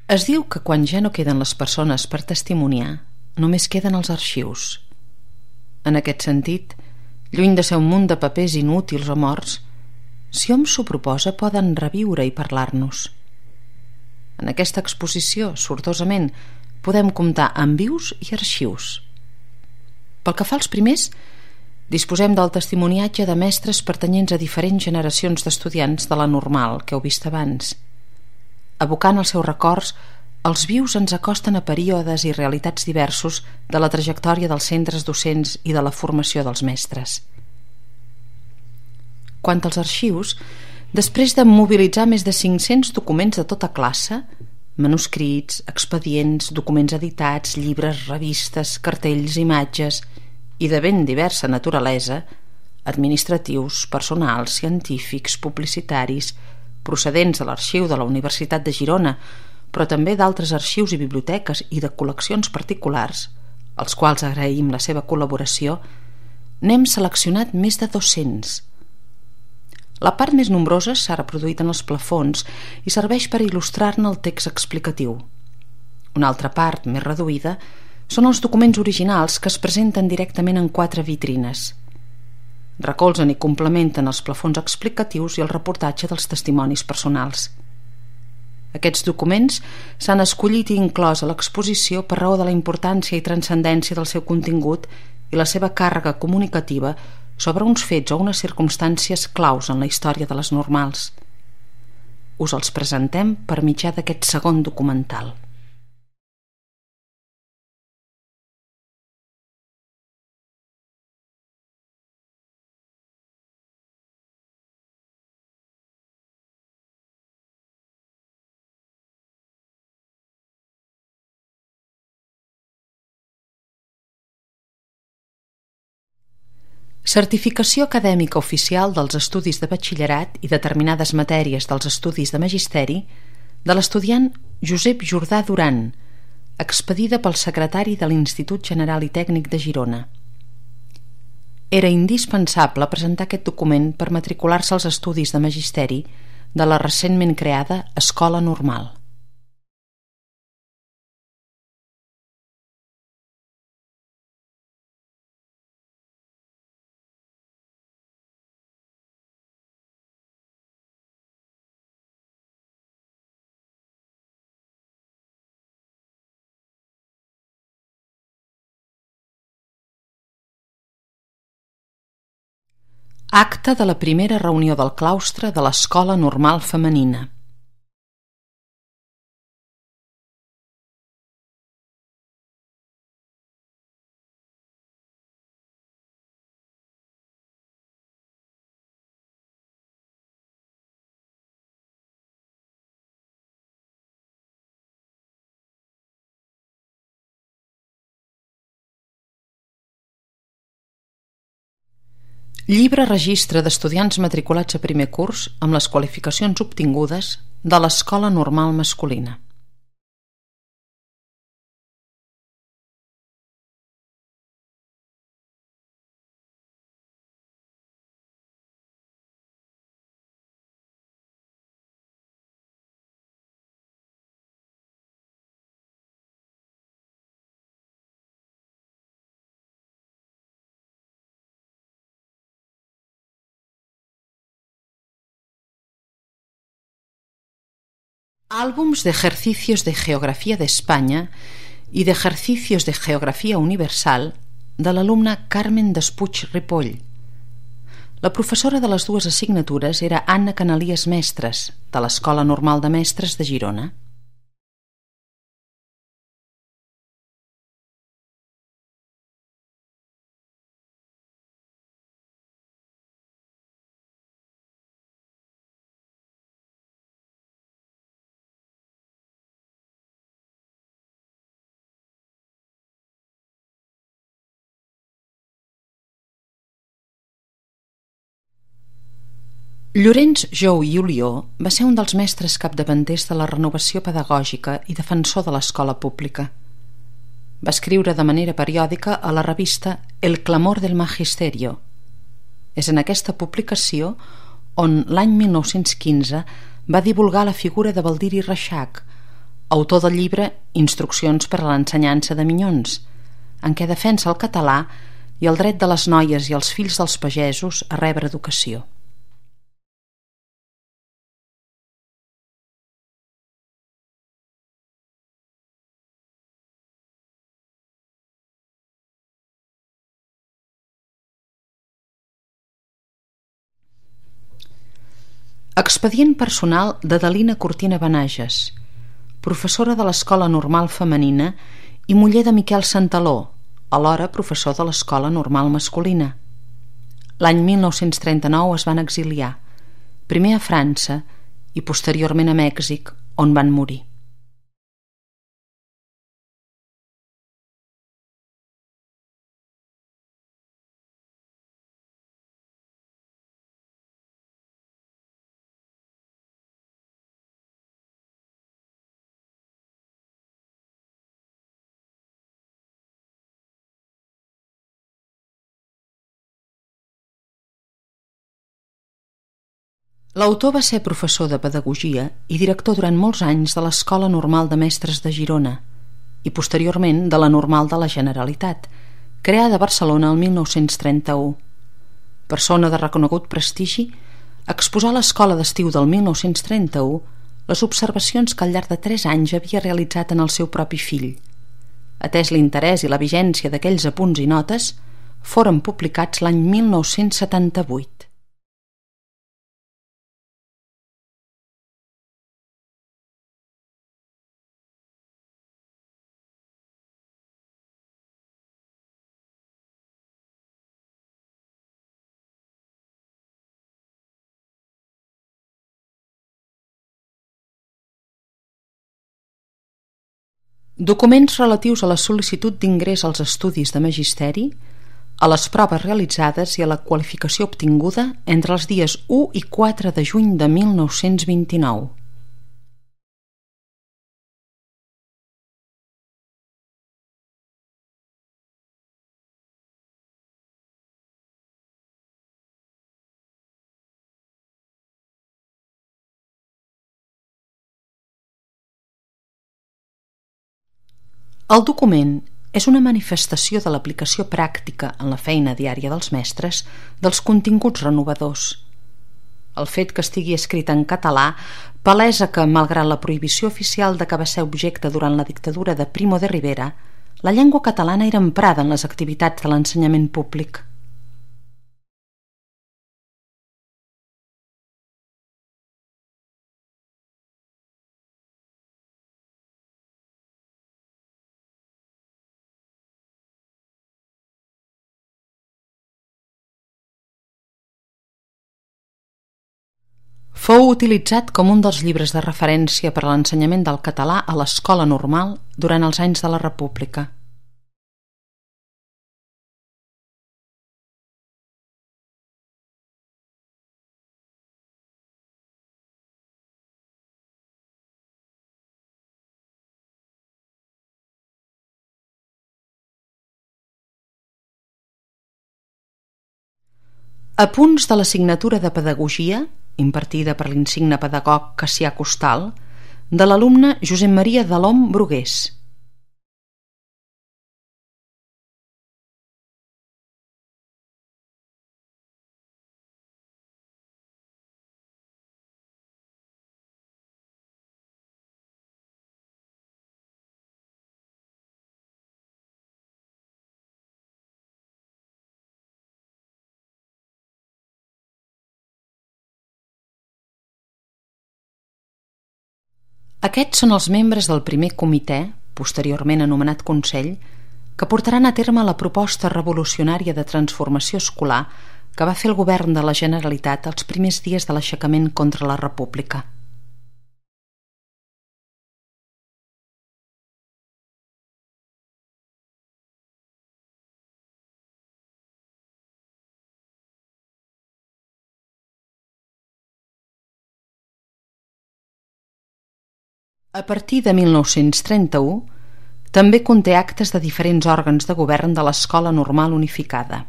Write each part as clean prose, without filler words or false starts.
Es diu que quan ja no queden les persones per testimoniar, només queden els arxius. En aquest sentit, lluny de ser un munt de papers inútils o morts, si hom s'ho proposa poden reviure i parlar-nos. En aquesta exposició, sortosament, podem comptar amb vius i arxius. Pel que fa als primers, disposem del testimoniatge de mestres pertanyents a diferents generacions d'estudiants de la normal que heu vist abans. Evocant els seus records, els vius ens acosten a períodes i realitats diversos de la trajectòria dels centres docents i de la formació dels mestres. Quant als arxius, després de mobilitzar més de 500 documents de tota classe, manuscrits, expedients, documents editats, llibres, revistes, cartells, imatges i de ben diversa naturalesa, administratius, personals, científics, publicitaris, procedents de l'arxiu de la Universitat de Girona, però també d'altres arxius i biblioteques i de col·leccions particulars, als quals agraïm la seva col·laboració, n'hem seleccionat més de 200. La part més nombrosa s'ha reproduït en els plafons i serveix per il·lustrar-ne el text explicatiu. Una altra part, més reduïda, són els documents originals que es presenten directament en 4 vitrines. Recolzen i complementen els plafons explicatius i el reportatge dels testimonis personals. Aquests documents s'han escollit i inclòs a l'exposició per raó de la importància i transcendència del seu contingut i la seva càrrega comunicativa sobre uns fets o unes circumstàncies claus en la història de les normals. Us els presentem per mitjà d'aquest segon documental. Certificació acadèmica oficial dels estudis de batxillerat i determinades matèries dels estudis de magisteri de l'estudiant Josep Jordà Duran, expedida pel secretari de l'Institut General i Tècnic de Girona. Era indispensable presentar aquest document per matricular-se als estudis de magisteri de la recentment creada Escola Normal. Acta de la primera reunió del claustre de l'Escola Normal Femenina. Llibre registre d'estudiants matriculats a primer curs amb les qualificacions obtingudes de l'Escola Normal Masculina. Álbums de ejercicios de Geografía de España y de ejercicios de Geografía Universal de l'alumna Carmen Despuig Ripoll. La professora de les dues assignatures era Anna Canalies Mestres, de l'Escola Normal de Mestres de Girona. Llorenç Jou i Olió va ser un dels mestres capdavanters de la renovació pedagògica i defensor de l'escola pública. Va escriure de manera periòdica a la revista El clamor del magisterio. És en aquesta publicació on l'any 1915 va divulgar la figura de Baldiri Reixac, autor del llibre Instruccions per a l'ensenyança de minyons, en què defensa el català i el dret de les noies i els fills dels pagesos a rebre educació. Expedient personal d'Adelina Cortina Benages, professora de l'Escola Normal Femenina i muller de Miquel Santaló, alhora professor de l'Escola Normal Masculina. L'any 1939 es van exiliar, primer a França i posteriorment a Mèxic, on van morir. L'autor va ser professor de pedagogia i director durant molts anys de l'Escola Normal de Mestres de Girona i posteriorment de la Normal de la Generalitat, creada a Barcelona el 1931. Persona de reconegut prestigi, exposà a l'Escola d'Estiu del 1931 les observacions que al llarg de 3 anys havia realitzat en el seu propi fill. Atès l'interès i la vigència d'aquells apunts i notes, foren publicats l'any 1978. Documents relatius a la sol·licitud d'ingrés als estudis de magisteri, a les proves realitzades i a la qualificació obtinguda entre els dies 1 i 4 de juny de 1929. El document és una manifestació de l'aplicació pràctica en la feina diària dels mestres dels continguts renovadors. El fet que estigui escrit en català palesa que, malgrat la prohibició oficial de que va ser objecte durant la dictadura de Primo de Rivera, la llengua catalana era emprada en les activitats de l'ensenyament públic. Fou utilitzat com un dels llibres de referència per a l'ensenyament del català a l'escola normal durant els anys de la República. Apunts de l'assignatura de Pedagogia, impartida per l'insigne pedagog Cassià Costal, de l'alumne Josep Maria Delhom Brugués. Aquests són els membres del primer comitè, posteriorment anomenat Consell, que portaran a terme la proposta revolucionària de transformació escolar que va fer el govern de la Generalitat els primers dies de l'aixecament contra la República. A partir de 1931, també conté actes de diferents òrgans de govern de l'Escola Normal Unificada.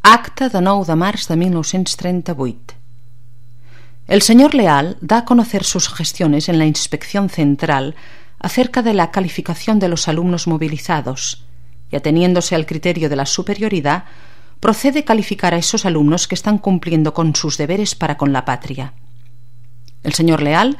Acta de 9 de març de 1938. El señor Leal da a conocer sus gestiones en la Inspección Central acerca de la calificación de los alumnos movilizados y, ateniéndose al criterio de la superioridad, procede a calificar a esos alumnos que están cumpliendo con sus deberes para con la patria. El señor Leal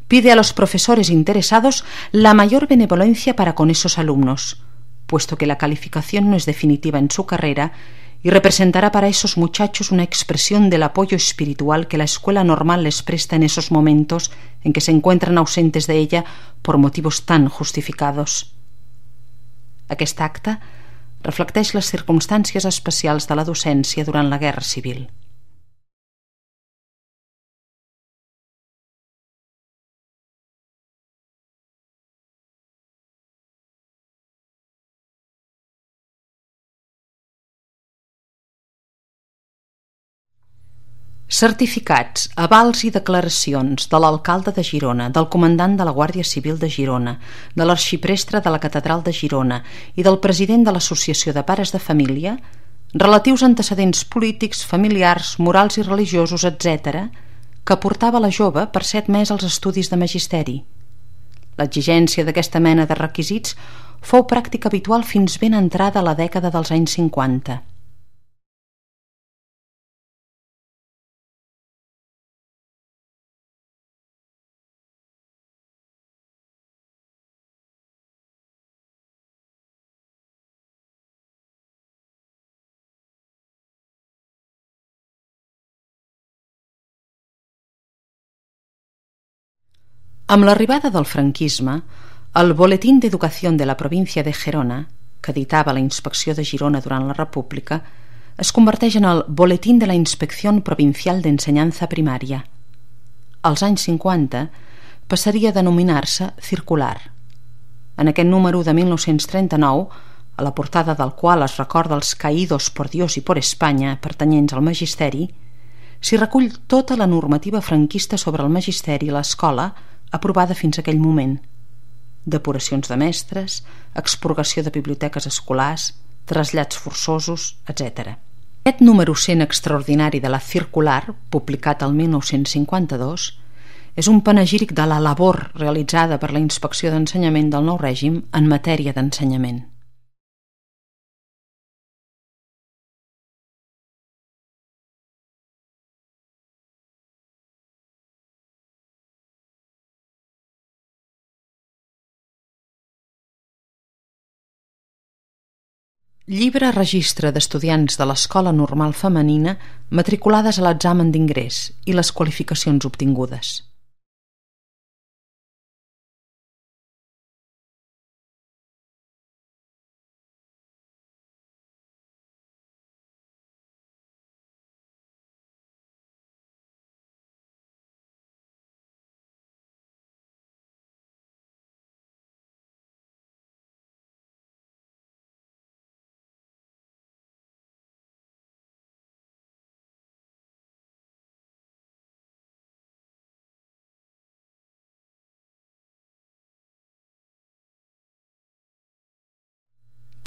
pide a los profesores interesados la mayor benevolencia para con esos alumnos, puesto que la calificación no es definitiva en su carrera y representará para esos muchachos una expresión del apoyo espiritual que la escuela normal les presta en esos momentos en que se encuentran ausentes de ella por motivos tan justificados. Aquest acte reflecteix les circumstàncies especials de la docència durant la Guerra Civil. Certificats, avals i declaracions de l'alcalde de Girona, del comandant de la Guàrdia Civil de Girona, de l'arxiprestre de la Catedral de Girona i del president de l'Associació de Pares de Família, relatius a antecedents polítics, familiars, morals i religiosos, etc., que portava la jove per ser admès als estudis de magisteri. L'exigència d'aquesta mena de requisits fou pràctica habitual fins ben entrada a la dècada dels anys 50. Amb l'arribada del franquisme, el Boletín d'Educació de la província de Gerona, que editava la Inspecció de Girona durant la República, es converteix en el Boletín de la Inspección Provincial d'Ensenyança Primària. Als anys 50 passaria a denominar-se Circular. En aquest número de 1939, a la portada del qual es recorda els caídos por Dios y por España pertanyents al magisteri, s'hi recull tota la normativa franquista sobre el magisteri i l'escola aprovada fins a aquell moment: depuracions de mestres, expurgació de biblioteques escolars, trasllats forçosos, etc. Aquest número 100 extraordinari de la Circular, publicat el 1952, és un panegíric de la labor realitzada per la Inspecció d'Ensenyament del nou règim en matèria d'ensenyament. Llibre registre d'estudiants de l'Escola Normal Femenina matriculades a l'examen d'ingrés i les qualificacions obtingudes.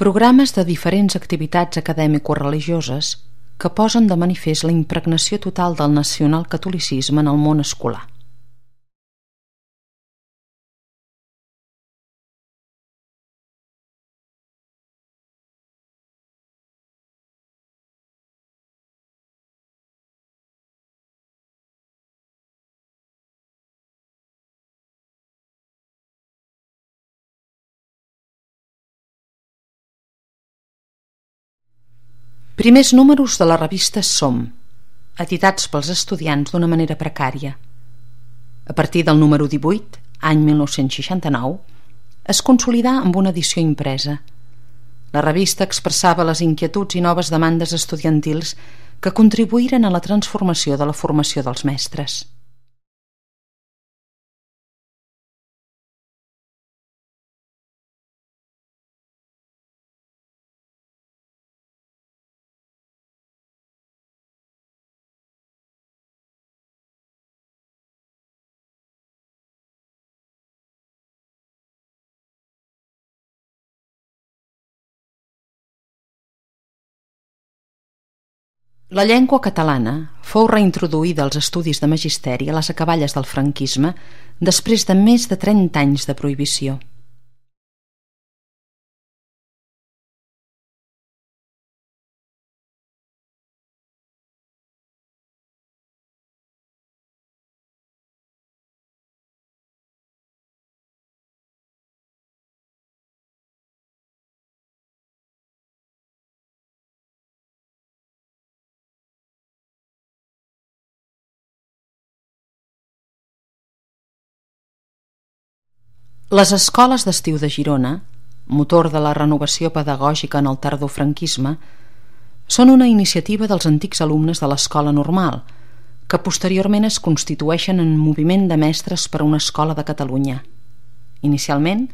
Programes de diferents activitats acadèmico-religioses que posen de manifest la impregnació total del nacionalcatolicisme en el món escolar. Primers números de la revista Som, editats pels estudiants d'una manera precària. A partir del número 18, any 1969, es consolidà amb una edició impresa. La revista expressava les inquietuds i noves demandes estudiantils que contribuïren a la transformació de la formació dels mestres. La llengua catalana fou reintroduïda als estudis de magisteri a les acaballes del franquisme després de més de 30 anys de prohibició. Les escoles d'estiu de Girona, motor de la renovació pedagògica en el tardofranquisme, són una iniciativa dels antics alumnes de l'Escola Normal, que posteriorment es constitueixen en moviment de mestres per a una escola de Catalunya. Inicialment,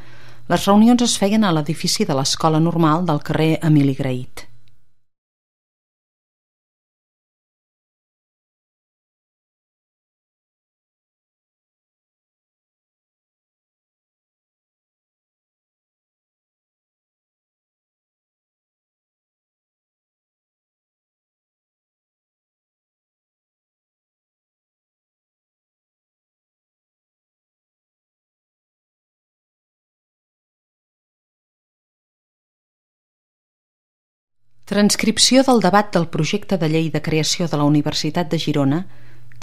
les reunions es feien a l'edifici de l'Escola Normal del carrer Emili Grahit. Transcripció del debat del projecte de llei de creació de la Universitat de Girona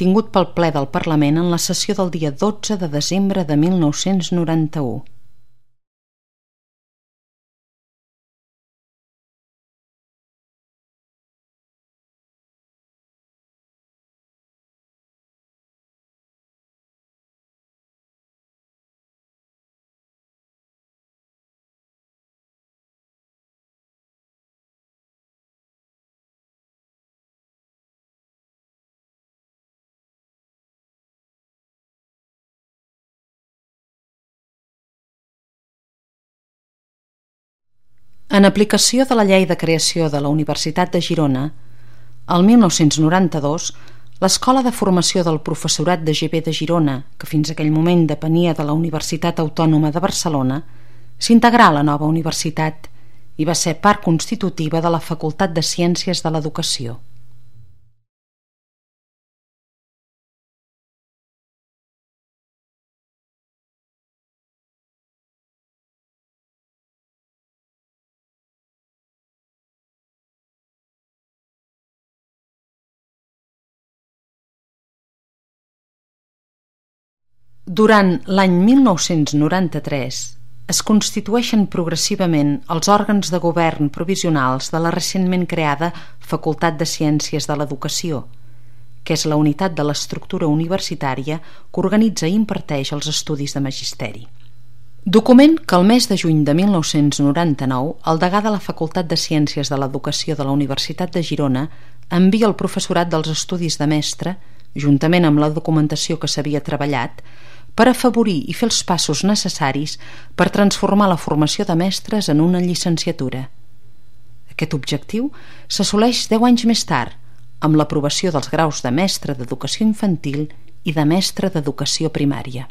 tingut pel ple del Parlament en la sessió del dia 12 de desembre de 1991. En aplicació de la Llei de Creació de la Universitat de Girona, el 1992, l'Escola de Formació del Professorat de GB de Girona, que fins aquell moment depenia de la Universitat Autònoma de Barcelona, s'integrà a la nova universitat i va ser part constitutiva de la Facultat de Ciències de l'Educació. Durant l'any 1993 es constitueixen progressivament els òrgans de govern provisionals de la recentment creada Facultat de Ciències de l'Educació, que és la unitat de l'estructura universitària que organitza i imparteix els estudis de magisteri. Document que el mes de juny de 1999 el degà de la Facultat de Ciències de l'Educació de la Universitat de Girona envia al professorat dels estudis de mestre, juntament amb la documentació que s'havia treballat, per afavorir i fer els passos necessaris per transformar la formació de mestres en una llicenciatura. Aquest objectiu s'assoleix 10 anys més tard, amb l'aprovació dels graus de mestre d'educació infantil i de mestre d'educació primària.